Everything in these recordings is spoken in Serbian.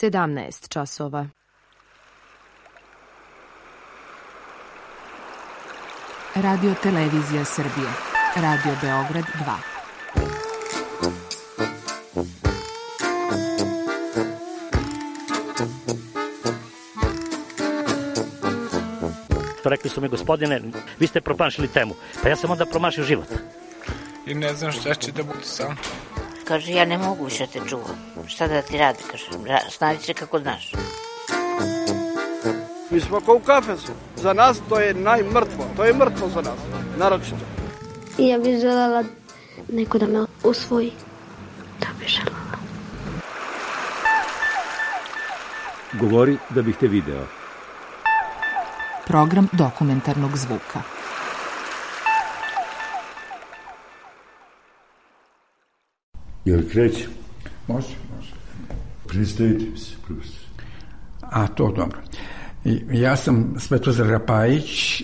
17 časova. Radio Televizija Srbije. Radio Beograd 2. Rekli su mi, gospodine, vi ste promašili temu. Pa ja sam onda promašio život. I ne znam šta će da bude sam. Kaže, ja ne mogu više te čuvam. Šta da ti radi, kaže, snađi se kako znaš. Mi smo kao u kafesu. Za nas to je najmrtvo. To je mrtvo za nas, naročito. Ja bih želela neko da me usvoji. Da bih želela. Govori da bih te video. Program dokumentarnog zvuka. Jel kreće? Može. Predstavite se, profesor. A, to dobro. Ja sam Svetozar Rapajić,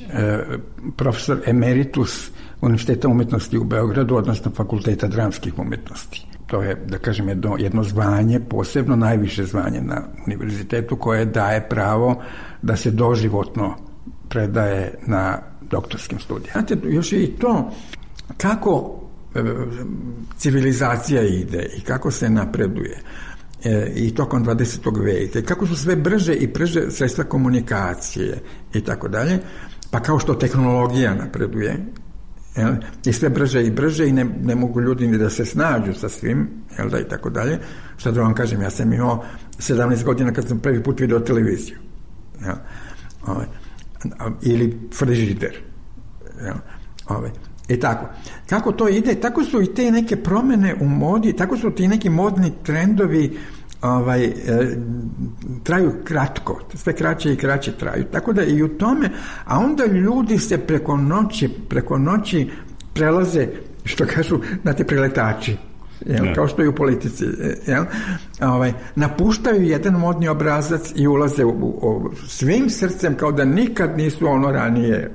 profesor emeritus Univerziteta umetnosti u Beogradu, odnosno Fakulteta dramskih umetnosti. To je, da kažem, jedno zvanje, posebno najviše zvanje na univerzitetu, koje daje pravo da se doživotno predaje na doktorskim studijama. Znate, još je i to kako civilizacija ide i kako se napreduje i tokom 20. veka i kako su sve brže i brže sredstva komunikacije i tako dalje, pa kao što tehnologija napreduje i sve brže i brže i ne mogu ljudi ni da se snađu sa svim, i tako dalje. Šta da vam kažem, ja sam imao 17 godina kad sam prvi put video televiziju. Ili frižider. I tako. Kako to ide, tako su i te neke promene u modi, tako su ti neki modni trendovi traju kratko, sve kraće i kraće traju. Tako da i u tome, a onda ljudi se preko noći prelaze, što kažu, znate, preletači. Kao što i u politici. Napuštaju jedan modni obrazac i ulaze svim srcem kao da nikad nisu ono ranije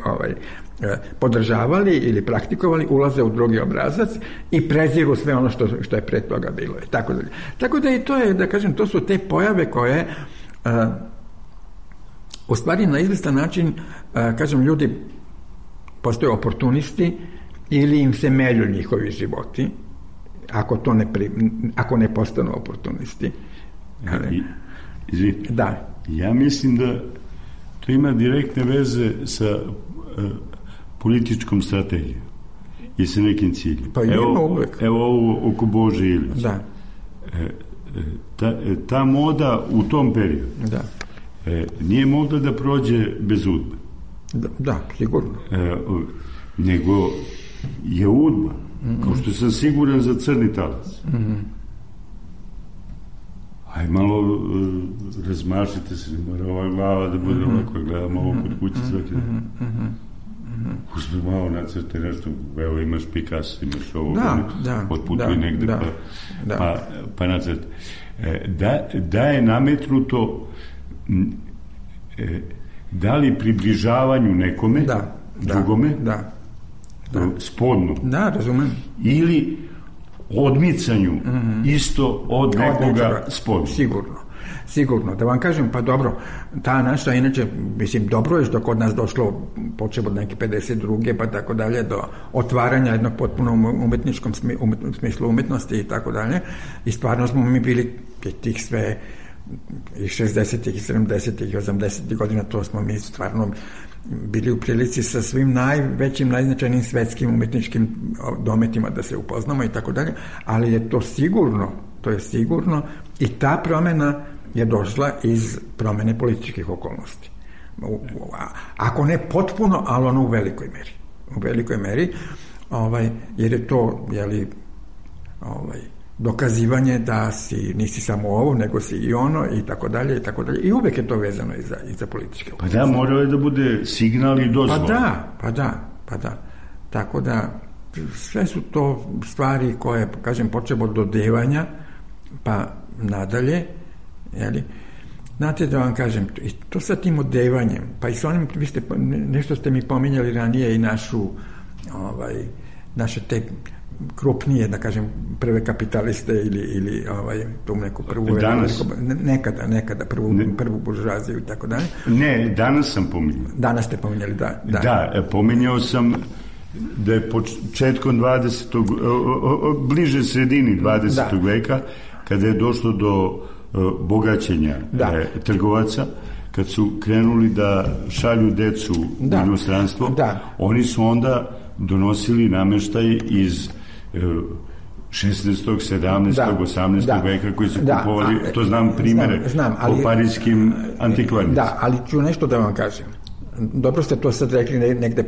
podržavali ili praktikovali, ulaze u drugi obrazac i preziru sve ono što je pre toga bilo. Tako da i to je, da kažem, to su te pojave koje u stvari na izvestan način, kažem, ljudi postaju oportunisti ili im se melju njihovi životi ako ne postanu oportunisti. Izvinite. Da. Ja mislim da to ima direktne veze sa političkom strategijom i sa nekim ciljem. Pa evo ovo oko Bože Ilića. Da. Ta moda u tom periodu nije mogla da prođe bez udbe. Da, sigurno. Nego je udba, kao što sam siguran za Crni talac. Aj malo razmašite se, mora ova glava da bude ovako, gledamo ovo kod kuće svaki dan. Uzme malo nacrte nešto, evo imaš Picasso, imaš ovo, otputuj negde pa nacrte. Da je nametnuto da li približavanju nekome, drugome, spodno, razumem, ili odmicanju isto od nekoga spodno. Sigurno, da vam kažem, pa dobro, ta naša, inače, mislim, dobro je što kod nas došlo, počeo od neke 52. pa tako dalje, do otvaranja jednog potpuno umetničkom smislu umetnosti i tako dalje, i stvarno smo mi bili tih sve i 60. i 70. i 80. godina, to smo mi stvarno bili u prilici sa svim najvećim, najznačajnijim svetskim umetničkim dometima da se upoznamo i tako dalje, ali je to sigurno i ta promena je došla iz promene političkih okolnosti. Ako ne potpuno, ali ono u velikoj meri, jer je to, dokazivanje da nisi samo ovo, nego si i ono, i tako dalje, i uvek je to vezano i za političke okolnosti. Pa da, morao je da bude signal i dozvola. Pa da. Tako da, sve su to stvari koje, kažem, počeo od dodevanja, pa nadalje, znate, da vam kažem, i to sa tim odevanjem, pa i sa onim, nešto ste mi pominjali ranije i naše te krupnije, da kažem, prve kapitaliste ili tu neku prvu... Danas? Nekada prvu buržuaziju i tako dalje. Ne, danas sam pominjao. Danas ste pominjali, da. Da, pominjao sam da je početkom 20. bliže sredini 20. veka, kada je došlo do bogaćenja trgovaca, kad su krenuli da šalju decu u inostranstvo, oni su onda donosili nameštaj iz 16., 17., 18. veka koji su kupovali, to znam primere, po parijskim antikvarnicima. Da, ali ću nešto da vam kažem. Dobro ste to sad rekli negde,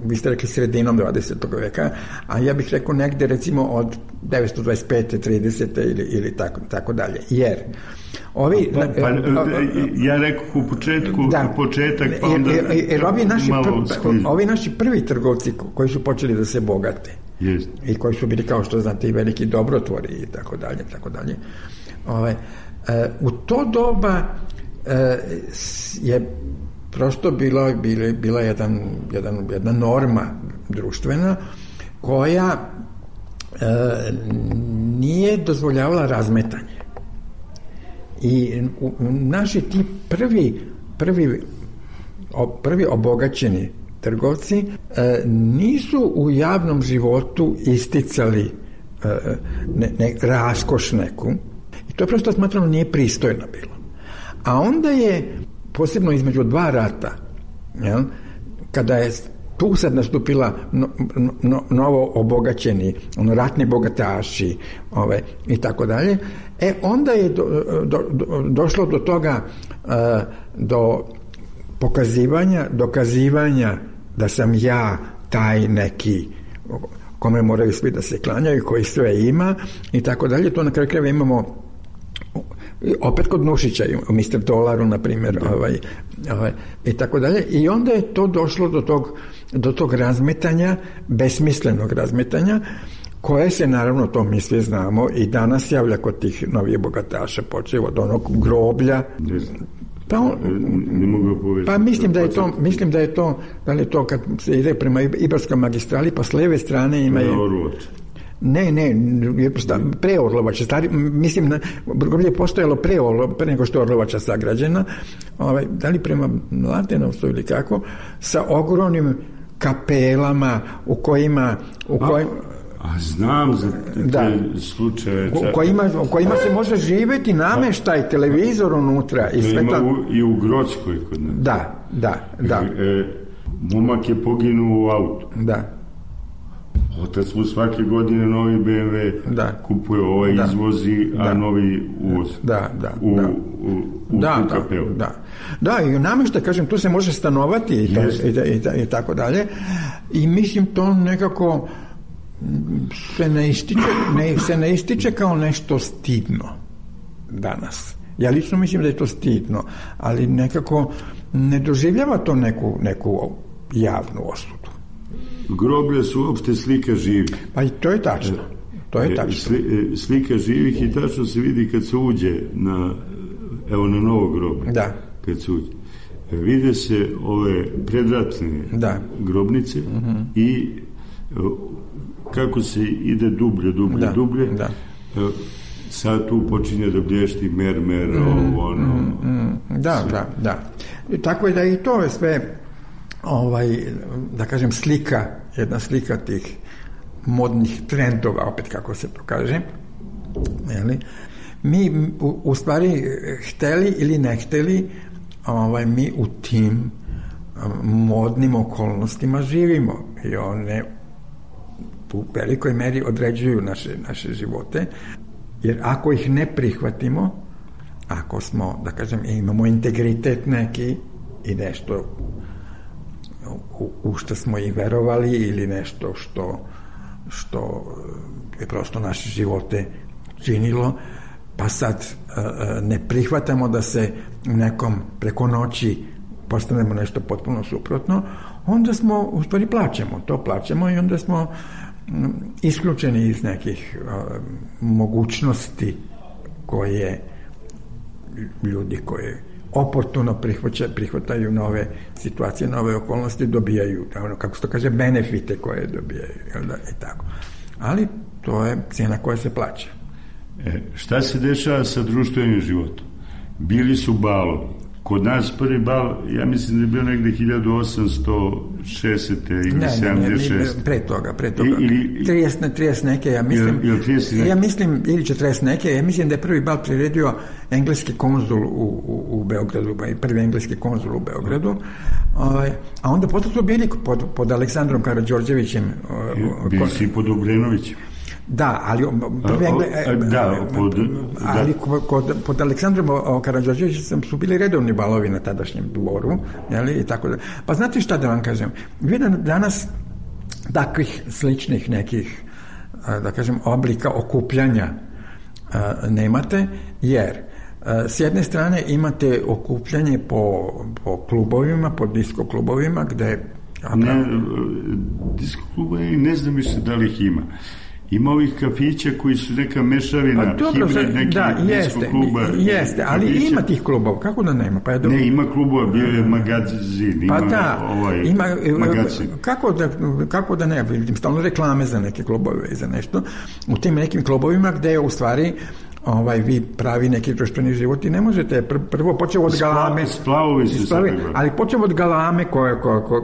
vi ste rekli sredinom 20. veka, a ja bih rekao negde recimo od 925. 30. ili tako dalje. Jer ja rekao u početku, početak, pa onda ovi naši prvi trgovci koji su počeli da se bogate i koji su bili, kao što znate, i veliki dobrotvori i tako dalje. U to doba je prosto bila jedna norma društvena koja nije dozvoljavala razmetanje. I naši ti prvi obogaćeni trgovci nisu u javnom životu isticali raskoš neku, i to prosto smatrano nije pristojno bilo. A onda je posebno između dva rata, kada je tu sad nastupila novo obogaćeni, ratni bogataši i tako dalje, onda je došlo do toga, do dokazivanja da sam ja taj neki kome moraju svi da se klanjaju, koji sve ima i tako dalje. To na kraju krajeva imamo opet kod Nušića, u Mr. Dolaru, na primjer, i tako dalje. I onda je to došlo do tog razmetanja, besmislenog razmetanja, koje se, naravno, to mi svi znamo, i danas javlja kod tih novih bogataša, počeo od onog groblja. Mislim da je to kad se ide prema Ibarskoj magistrali, pa s lijeve strane ima Ne, pre Orlovača. Mislim, groblje je postojalo pre nego što je Orlovača sagrađena, da li prema Mladenovcu ili kako, sa ogromnim kapelama u kojima a znam za te slučaje. U kojima se može živjeti, nameštaj, televizor unutra. Ima i u Grockoj kod nas. Da. Momak je poginuo u autu. Da. Otac mu svake godine novi BMW kupuje, izvozi, a novi uvoz. U kapelu. Da, i nameštaj, kažem, tu se može stanovati i tako dalje. I mislim, to nekako se ne ističe kao nešto stidno danas. Ja lično mislim da je to stidno, ali nekako ne doživljava to neku javnu osudu. Groblje su uopšte slika živih. Pa i to je tačno. Slika živih, i tačno se vidi kad se uđe na novo groblje. Da. Kad se uđe. Vide se ove predratne grobnice i kako se ide dublje. Sad tu počinje da blješti mermer, Da. Tako je da i to je sve, da kažem, jedna slika tih modnih trendova, opet kako se to kaže. Mi u stvari, hteli ili ne hteli, mi u tim modnim okolnostima živimo i one u velikoj meri određuju naše živote, jer ako ih ne prihvatimo, ako smo, da kažem, imamo integritet neki i nešto u što smo i verovali, ili nešto što je prosto naše živote činilo, pa sad ne prihvatamo da se nekom preko noći postanemo nešto potpuno suprotno, onda smo, u stvari, plaćamo i onda smo isključeni iz nekih mogućnosti koje ljudi koji oportuno prihvataju nove situacije, nove okolnosti, dobijaju, kako se to kaže, benefite koje dobijaju, i tako. ali to je cijena koja se plaća. Šta se dešava sa društvenim životom? Bili su balovi. Kod nas prvi bal, ja mislim da je bio negde 1860. ili 76. Ne, pre toga. 30 neke, ja mislim. Ja mislim, ili 40 neke, ja mislim da je prvi bal priredio engleski konzul u Beogradu, prvi engleski konzul u Beogradu, a onda posle su bili pod Aleksandrom Karađorđevićem. Bili si pod Obrenovićem. Da, ali pod Aleksandrom Karađorđevićem su bili redovni balovi na tadašnjem dvoru, i tako da. Pa znate šta da vam kažem? Vi danas takvih sličnih nekih, da kažem, oblika okupljanja nemate, jer s jedne strane imate okupljanje po klubovima, po disko klubovima, gde... Disko klubovi, ne znam više da li ih ima. Ima ovih kafića koji su neka mešavina, hibrid neki disko kluba. Jeste, ali kafića. Ima tih klubova, kako da nema? Ne, ima klubova, bio je magazin, magazin. Kako da ne, vidim stalno reklame za neke klubove i za nešto. U tim nekim klubovima gde je u stvari vi pravi neki društveni život i ne možete, prvo počeo od galame, splavovi su se, ali počeo od galame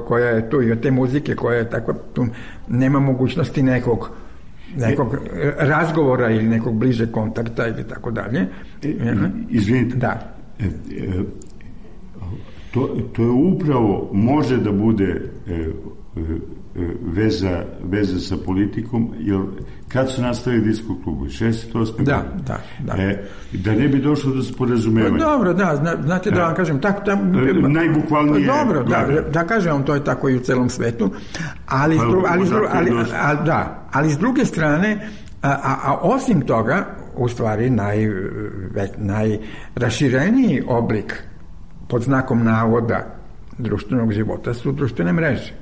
koja je tu i od te muzike koja je tako, tu nema mogućnosti nekog razgovora ili nekog bližeg kontakta ili tako dalje. Izvinite. Da. To je upravo, može da bude veza sa politikom, jer kad su nastavili disko klubu? 68. Da. Da ne bi došlo do sporazumevanja. Dobro, da, znate da vam kažem, najbukvalnije. Dobro, da kažem vam, to je tako i u celom svetu, ali s druge strane, a osim toga, u stvari najrašireniji oblik pod znakom navoda društvenog života su društvene mreže.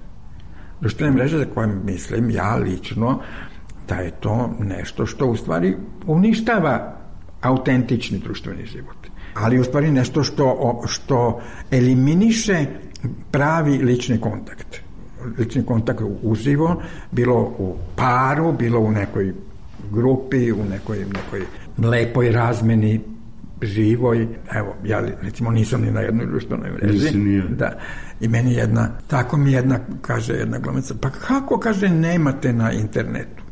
Društvene mreže za koje mislim ja lično da je to nešto što u stvari uništava autentični društveni život. Ali u stvari nešto što eliminiše pravi lični kontakt. Lični kontakt uživo, bilo u paru, bilo u nekoj grupi, u nekoj lepoj razmeni živoj. Evo, ja recimo nisam ni na jednoj društvenoj mreži. Da. I meni tako mi kaže jedna glumica, pa kako, kaže, nemate na internetu?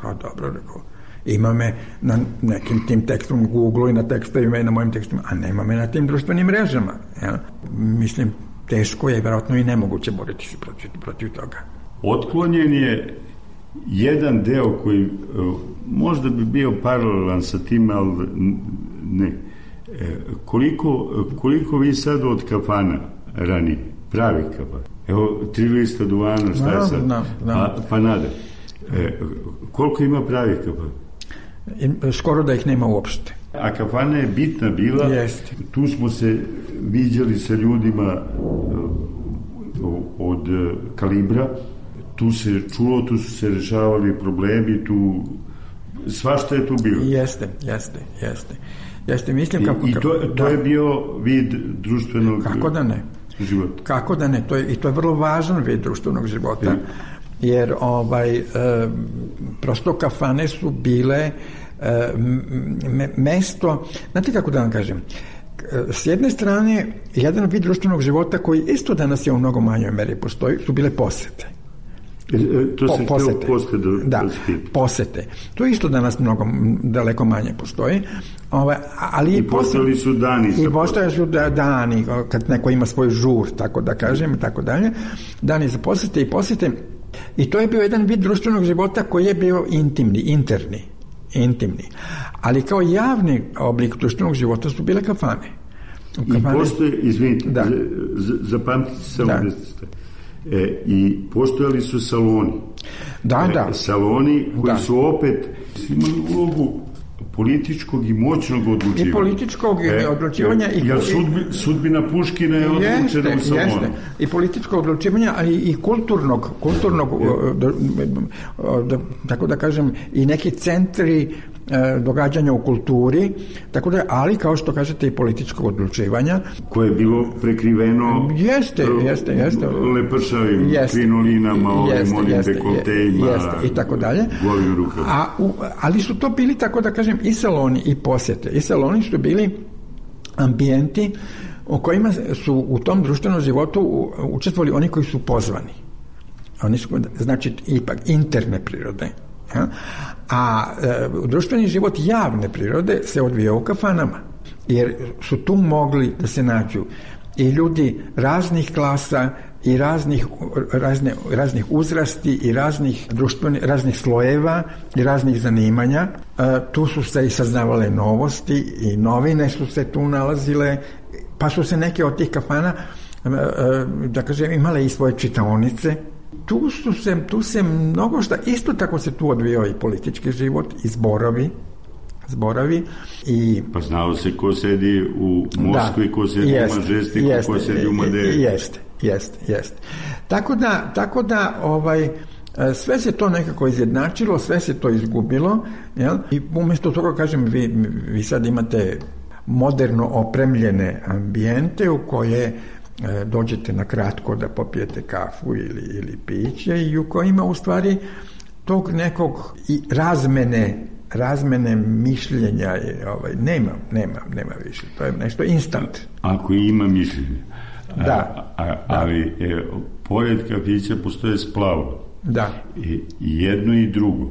Pa dobro, rekao, ima me na nekim tim tekstom u Google i na tekstovima i na mojim tekstovima, a nema me na tim društvenim mrežama. Ja? Mislim, teško je, vjerojatno i nemoguće boriti se protiv toga. Otklonjen je jedan deo koji možda bi bio paralelan sa tim, ali ne. Koliko vi sad od kafana ranije, pravi kafan, evo 3 lista duvana, šta je sad? Pa nade. Koliko ima pravi kafan? Skoro da ih nema uopšte. A kafana je bitna bila. Jeste. Tu smo se viđali sa ljudima od kalibra, tu se čulo, tu su se rešavali problemi, tu svašta je tu bilo. Jeste, mislim I to je bio vid društvenog života. Kako da ne, to je vrlo važan vid društvenog života, jer prosto kafane su bile mesto, znate kako da vam kažem, s jedne strane, jedan vid društvenog života koji isto danas je u mnogo manjoj meri postoji, su bile posete. Posete. To isto danas daleko manje postoji. Ali I postojali su dani. I postojali su dani, kad neko ima svoj žur, tako da kažem, i tako dalje. Dani za posete i posete. I to je bio jedan vid društvenog života koji je bio intimni. Ali kao javni oblik društvenog života su bile kafane. I postoje, izvinite, zapamtite samo i postojali su saloni. Saloni koji su opet imali ulogu političkog i moćnog odlučivanja. I političkog odlučivanja. Jer sudbina Puškina je odlučena u salonu. I političkog odlučivanja, ali i kulturnog tako da kažem, i neki centri događanja u kulturi, tako da, ali kao što kažete i političkog odlučivanja. Koje je bilo prekriveno jeste. lepršavim krinolinama, onim dekoltejima, i tako dalje. Golim rukama. Ali su to bili, tako da kažem, i saloni i posjete. I saloni su bili ambijenti u kojima su u tom društvenom životu učestvovali oni koji su pozvani. Oni su, znači, ipak interne prirode. Ja? A društveni život javne prirode se odvijao u kafanama, jer su tu mogli da se nađu i ljudi raznih klasa i raznih uzrasti i raznih slojeva i raznih zanimanja. Tu su se i saznavale novosti i novine su se tu nalazile, pa su se neke od tih kafana, da kažem, imale i svoje čitaonice. Tu se mnogo šta, isto tako se tu odvijao i politički život i zborovi i... Pa znao se ko sedi u Moskvi, ko sedi u Mažestiku, ko sedi u Madeji. Jeste. Tako da sve se to nekako izjednačilo, sve se to izgubilo, jel? I umjesto toga, kažem, vi sad imate moderno opremljene ambijente u koje dođete na kratko da popijete kafu ili piće i u kojima u stvari tog nekog razmene mišljenja nema više. To je nešto instant. Ako ima mišljenje. Ali pored kafića postoje splavo. Da. I jedno i drugo.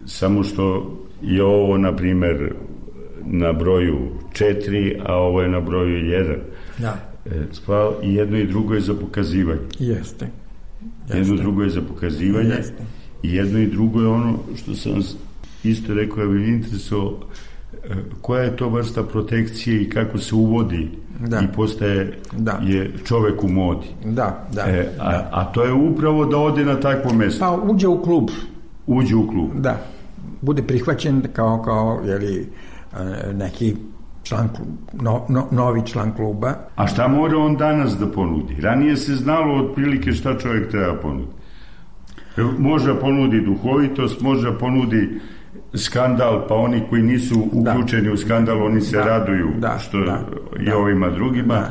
Samo što je ovo, na primer, na broju 4, a ovo je na broju 1. Da. I jedno i drugo je za pokazivanje. Jeste. Jedno drugo je za pokazivanje. Jeste. I jedno i drugo je ono što sam isto rekao, ja bih interesovao koja je to vrsta protekcije i kako se uvodi i postaje je čovek u modi. A to je upravo da ode na takvo mesto. Pa uđe u klub. Da. Bude prihvaćen kao neki član, novi član kluba. A šta mora on danas da ponudi? Ranije se znalo otprilike šta čovjek treba ponudi. Može ponudi duhovitost, može ponudi skandal, pa oni koji nisu uključeni u skandal, oni se raduju što i ovima drugima.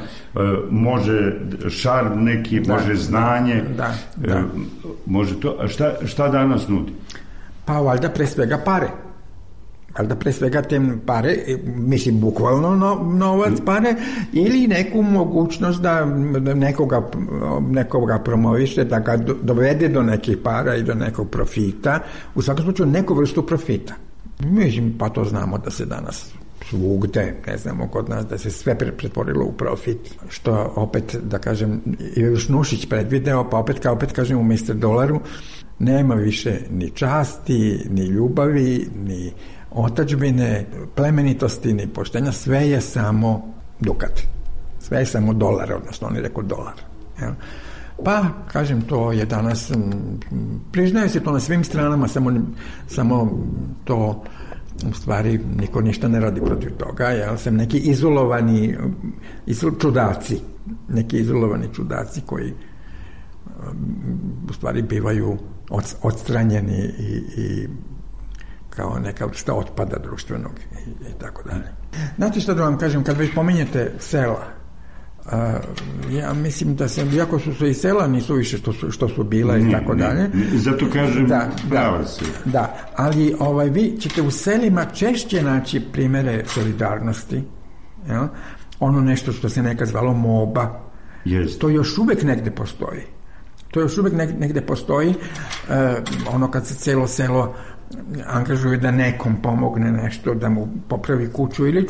Može šarm neki, može znanje, može to. A šta danas nudi? Pa valjda pre svega pare. Valjda pre svega te pare, mislim bukvalno novac pare, ili neku mogućnost da nekoga promoviše, da ga dovede do nekih para i do nekog profita, u svakom slučaju neku vrstu profita. Mislim, pa to znamo da se danas svugde, ne znamo kod nas, da se sve pretvorilo u profit, što opet, da kažem, Ivo Šnušić predvideo, pa opet kažem, u Mr. Dolaru nema više ni časti, ni ljubavi, ni otadžbine, plemenitosti, ni poštenja, sve je samo dukat. Sve je samo dolar, odnosno oni rekao dolar. Ja. Pa, kažem, to je danas, priznaje se to na svim stranama, samo to, u stvari, niko ništa ne radi protiv toga, jel? Sam neki izolovani čudaci koji u stvari bivaju odstranjeni i kao neka vrsta otpada društvenog i tako dalje. Znate što da vam kažem, kad već pominjete sela, ja mislim da iako su i sela nisu više što su bila i tako dalje. Zato kažem prava se. Da, ali vi ćete u selima češće naći primere solidarnosti. Jel? Ono nešto što se nekad zvalo moba. Yes. To još uvek negde postoji. Ono kad se celo selo angažuje da nekom pomogne nešto, da mu popravi kuću ili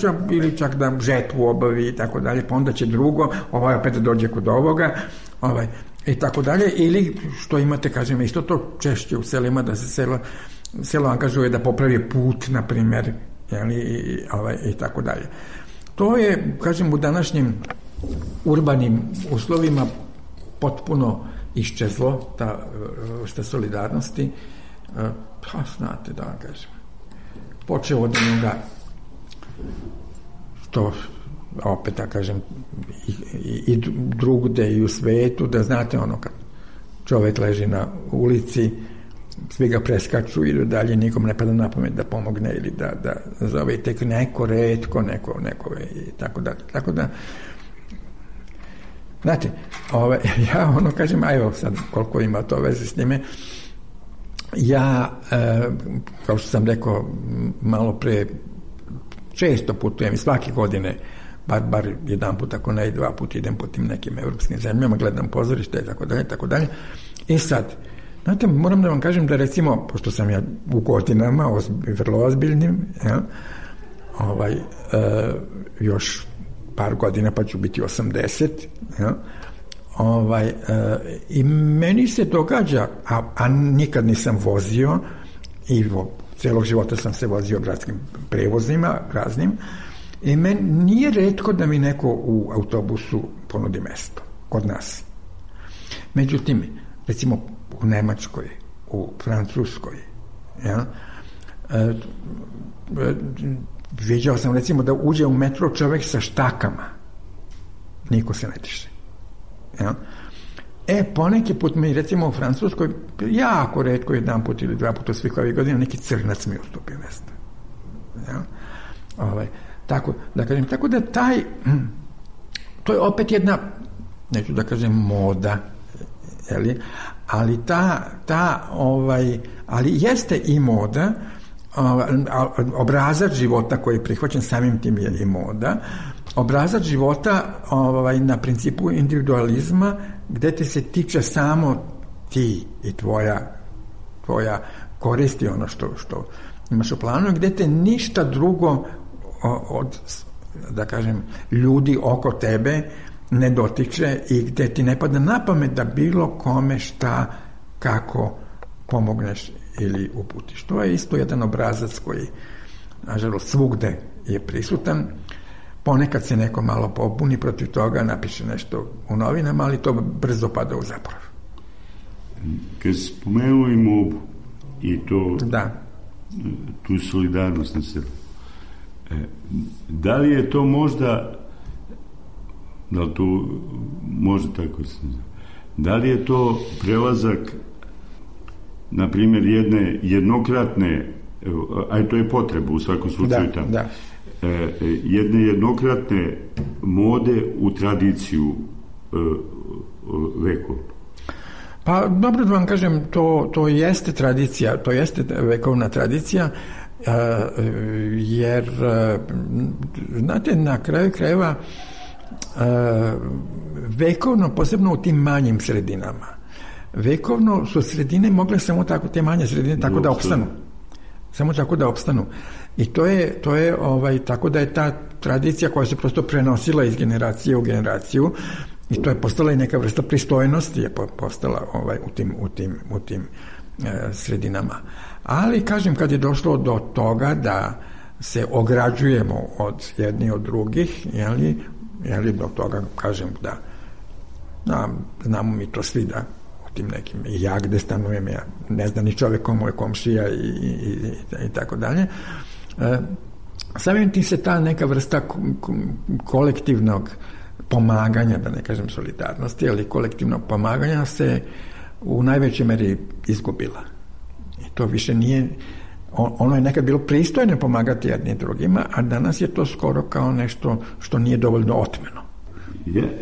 čak da žetvu obavi i tako dalje, pa onda će drugo, opet dođe kod ovoga, i tako dalje, ili što imate, kažem, isto to češće u selima, da se selo angažuje da popravi put, na primjer, i tako dalje. To je, kažem, u današnjim urbanim uslovima potpuno iščezlo, ta vrsta solidarnosti. Pa, znate, da vam kažem, počeo od onoga što, opet da kažem, i drugde i u svetu, da znate ono kad čovjek leži na ulici svi ga preskaču, idu dalje, nikom ne pada na pamet da pomogne ili da zove tek neko retko, neko i tako dalje. Tako da, znate, ja kažem, a evo sad koliko ima to veze s njime, ja, kao što sam rekao malo pre, često putujem i svake godine, bar jedan put, ako ne i 2 puta idem po tim nekim evropskim zemljama, gledam pozorište i tako dalje. I sad, znate, moram da vam kažem da recimo, pošto sam ja u godinama vrlo ozbiljnim, još par godina pa ću biti 80, i meni se događa, a nikad nisam vozio i celog života sam se vozio gradskim prevozima raznim, i meni nije retko da mi neko u autobusu ponudi mesto kod nas. Međutim, recimo u Nemačkoj, u Francuskoj, viđao sam recimo da uđe u metro čovjek sa štakama, niko se ne tiše. Poneki put mi, recimo u Francuskoj, jako retko, 1 put ili 2 puta svih ovih godina, neki crnac mi ustupi mesto. Tako da to je opet jedna, neću da kažem moda, ali jeste i moda, obrazac života koji je prihvaćen samim tim je i moda, obrazac života na principu individualizma, gde te se tiče samo ti i tvoja koristi, ono što imaš u planu, gde te ništa drugo od, da kažem, ljudi oko tebe ne dotiče i gde ti ne pada na pamet da bilo kome šta, kako pomogneš ili uputiš. To je isto jedan obrazac koji, nažalost, svugde je prisutan. Ponekad se neko malo pobuni protiv toga, napiše nešto u novinama, ali to brzo pada u zaborav. Kad spomenuo i mobu i to, tu solidarnost na sebi, da li je to možda, da li to može tako se zna, da li je to prelazak, na primjer, jedne jednokratne, a to je potreba u svakom slučaju tamo, jedne jednokratne mode u tradiciju vekovnu? Pa dobro da vam kažem, to jeste tradicija, to jeste vekovna tradicija, jer znate, na kraju krajeva vekovno, posebno u tim manjim sredinama, vekovno su sredine mogle samo tako, te manje sredine tako da opstanu, samo tako da opstanu, i to je tako da je ta tradicija koja se prosto prenosila iz generacije u generaciju, i to je postala i neka vrsta pristojnosti je postala u tim sredinama. Ali, kažem, kad je došlo do toga da se ograđujemo od jedni od drugih, jeli do toga, kažem, da znamo mi to svi, da u tim nekim, i ja gde stanujem, ja ne znam ni čovjek komu je komšija i tako dalje, samim tim se ta neka vrsta kolektivnog pomaganja, da ne kažem solidarnosti, ali kolektivnog pomaganja se u najvećoj meri izgubila. I to više nije, ono je nekad bilo pristojno pomagati jednim drugima, a danas je to skoro kao nešto što nije dovoljno otmeno.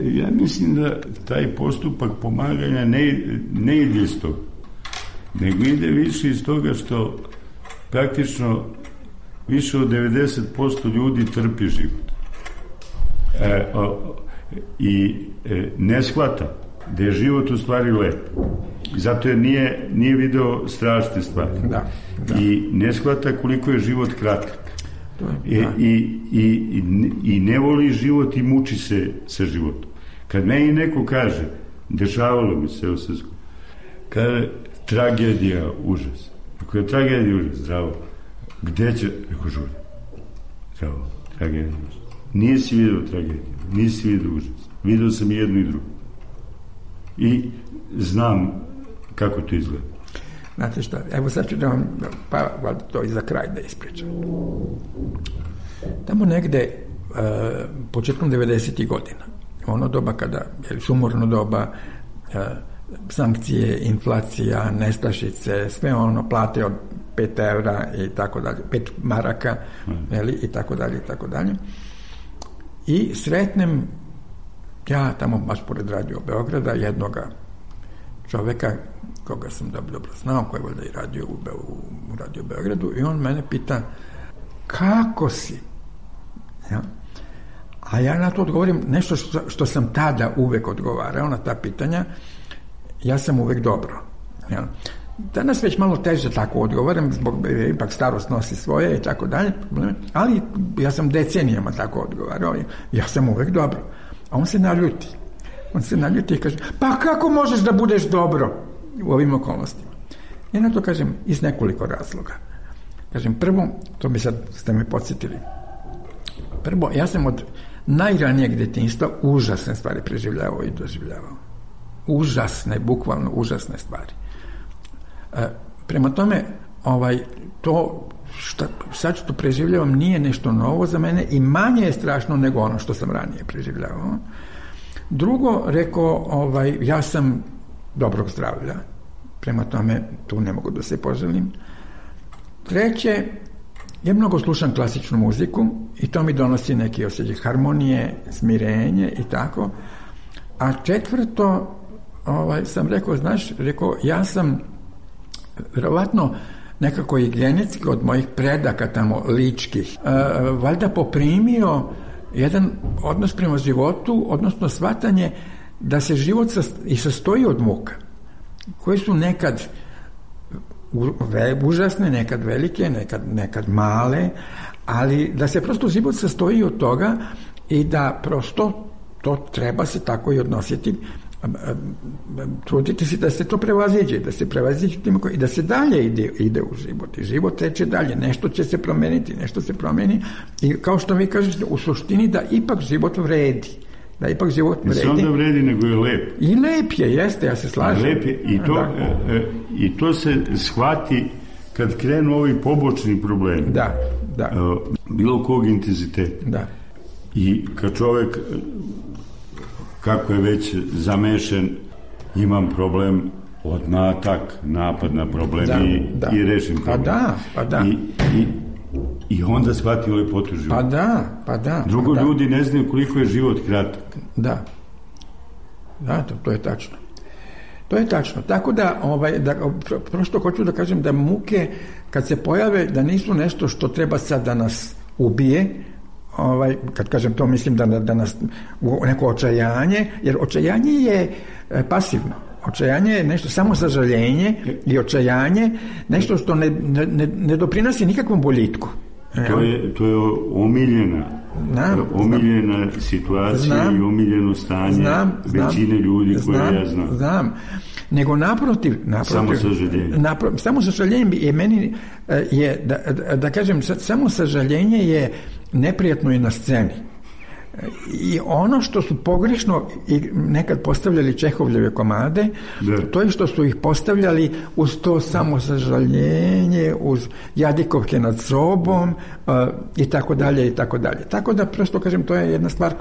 Ja mislim da taj postupak pomaganja ne ide iz toga, nego ide više iz toga što praktično više od 90% ljudi trpi život. I ne shvata da je život u stvari lep. Zato jer nije video strašne stvari. Da. I ne shvata koliko je život kratak. I ne voli život i muči se sa životom. Kad meni neko kaže, dešavalo mi se, kaže, tragedija, užas. Ako je tragedija, užas, zdravo. Gde će? Rekao, žuri. Zdravo, tragedija, užas. Nisi vidio tragediju, nisi vidio užas. Vidio sam i jedno i drugo. I znam kako to izgleda. Znate šta, evo sad ću da vam, pa to i za kraj da ispričam. Tamo negde, početkom 90. godina, ono doba kada, sumorno doba, sankcije, inflacija, nestašice, sve ono plate od 5 evra i tako dalje, 5 maraka, i tako dalje, i tako dalje. I sretnem ja tamo baš pored Radio Beograda jednoga čoveka koga sam dobro znao, koji je valjda i radio u Radio Beogradu, i on mene pita kako si? Ja? A ja na to odgovorim nešto što sam tada uvek odgovarao na ta pitanja, ja sam uvek dobro. Ja? Danas već malo teže tako odgovaram, zbog ipak starost nosi svoje i tako dalje, ali ja sam decenijama tako odgovarao, ja sam uvek dobro. A on se naljuti i kaže, pa kako možeš da budeš dobro u ovim okolnostima? I na to kažem iz nekoliko razloga. Kažem, prvo, to mi sad ste me podsjetili, prvo, ja sam od najranijeg detinjstva užasne stvari preživljavao i doživljavao. Užasne, bukvalno užasne stvari. Prema tome, to sad što preživljavam nije nešto novo za mene i manje je strašno nego ono što sam ranije preživljavao. Drugo, rekao, ja sam dobrog zdravlja, prema tome tu ne mogu da se poželim. Treće, ja mnogo slušam klasičnu muziku i to mi donosi neki osjećaj harmonije, smirenje i tako. A četvrto, sam rekao, ja sam verovatno nekako i genetski od mojih predaka tamo ličkih, valjda poprimio jedan odnos prema životu, odnosno shvatanje da se život i sastoji od muka, koje su nekad užasne, nekad velike, nekad male, ali da se prosto život sastoji od toga i da prosto to treba se tako i odnositi, truditi se da se to prevaziđe, i da se dalje ide u život. I život teče dalje, nešto će se promeniti, nešto se promeni i kao što vi kažete, u suštini da ipak život vredi. Ne samo da vredi, nego je lep. I lep je, jeste, ja se slažem. Lep je i to se shvati kad krenu ovi pobočni problemi. Da. Bilo kog intenziteta. Da. I kad čovek, kako je već zamešan, imam problem, odmah napad na problem i rešim problem. Pa da. I onda shvati lepotu života. Pa da. Drugo, ljudi ne znaju koliko je život kratak. Da, to je tačno. To je tačno. Tako da, prosto hoću da kažem da muke, kad se pojave, da nisu nešto što treba sad da nas ubije, kad kažem to, mislim da nas u neko očajanje, jer očajanje je pasivno. Očajanje je nešto, samo sažaljenje i očajanje, nešto što ne doprinosi nikakvom boljitku. To je omiljena situacija i omiljeno stanje većine ljudi koje ja znam. Znam. Nego naprotiv, samo sažaljenje je meni da kažem, samo sažaljenje je neprijatno i na sceni. I ono što su pogrešno i nekad postavljali Čehovljeve komade, to je što su ih postavljali uz to samo sažaljenje, uz jadikovke nad sobom i tako dalje i tako dalje. Tako da prosto kažem, to je jedna stvar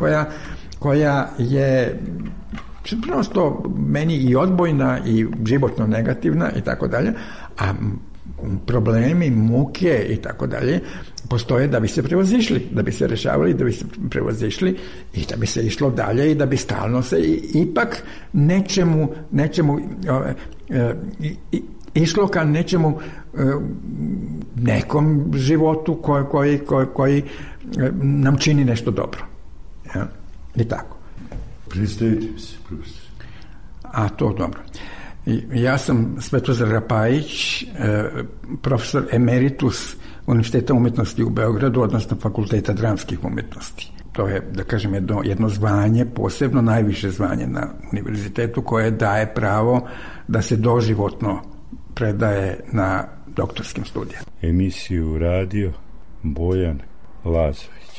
koja je prosto meni i odbojna i životno negativna i tako dalje, a problemi, muke i tako dalje postoje da bi se prevazišli, da bi se rešavali, da bi se prevazišli i da bi se išlo dalje i da bi stalno se ipak nečemu išlo ka nečemu, nekom životu koji nam čini nešto dobro. Ja? I tako. Predstavite mi se, profesor. A to dobro. Ja sam Svetozar Rapajić, profesor emeritus Univerziteta umetnosti u Beogradu, odnosno Fakulteta dramskih umetnosti. To je, da kažem, jedno zvanje, posebno najviše zvanje na univerzitetu, koje daje pravo da se doživotno predaje na doktorskim studijama. Emisiju radio Bojan Lazović.